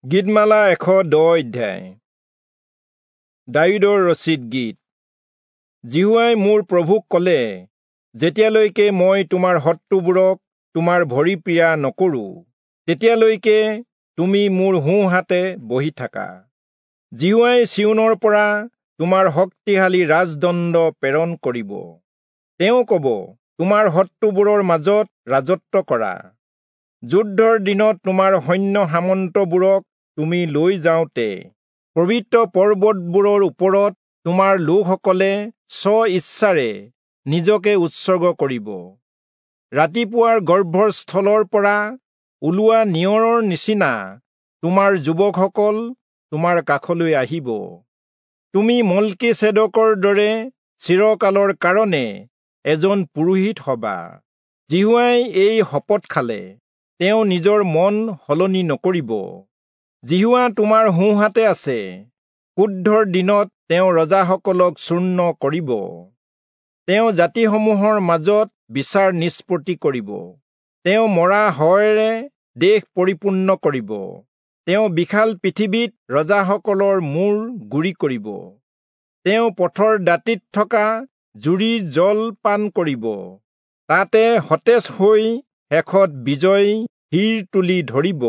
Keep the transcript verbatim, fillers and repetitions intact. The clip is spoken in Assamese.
গীতমালা এশ দহ অধ্যায়। দায়ূদৰ ৰচিত গীত। যিহোৱাই মোৰ প্ৰভুক ক'লে, যেতিয়ালৈকে মই তোমাৰ শত্ৰুবোৰক তোমাৰ ভৰি পীৰা নকৰোঁ, তেতিয়ালৈকে তুমি মোৰ সোঁহাতে বহি থাকা। যিহোৱাই চিয়োনৰ পৰা তোমাৰ শক্তিশালী ৰাজদণ্ড প্ৰেৰণ কৰিব। তেওঁ ক'ব, তোমাৰ শত্ৰুবোৰৰ মাজত ৰাজত্ব কৰা। যুদ্ধৰ দিনত তোমাৰ সৈন্য সামন্তবোৰক তুমি লৈ যাওঁতে পবিত্ৰ পৰ্বতবোৰৰ ওপৰত তোমাৰ লোকসকলে স্ব ইচ্ছাৰে নিজকে উৎসৰ্গ কৰিব। ৰাতিপুৱাৰ গৰ্ভৰ স্থলৰ পৰা ওলোৱা নিয়ৰৰ নিচিনা তোমাৰ যুৱকসকল তোমাৰ কাষলৈ আহিব। তুমি মল্কীচেদকৰ দৰে চিৰকালৰ কাৰণে এজন পুৰোহিত হবা। যিহোৱাই এই শপত খালে, তেওঁ নিজৰ মন সলনি নকৰিব। যিহোৱা তোমাৰ সোঁহাতে আছে, ক্ৰোধৰ দিনত তেওঁ ৰজাসকলক চূৰ্ণ কৰিব। তেওঁ জাতিসমূহৰ মাজত বিচাৰ নিষ্পত্তি কৰিব। তেওঁ মৰা হয়েৰে দেশ পৰিপূৰ্ণ কৰিব। তেওঁ বিশাল পৃথিৱীত ৰজাসকলৰ মূৰ গুৰি কৰিব। তেওঁ পথৰ দাঁতিত থকা জুৰিৰ জল পান কৰিব। তাতে সতেজ হৈ শেষত বিজয় শিৰ তুলি ধৰিব।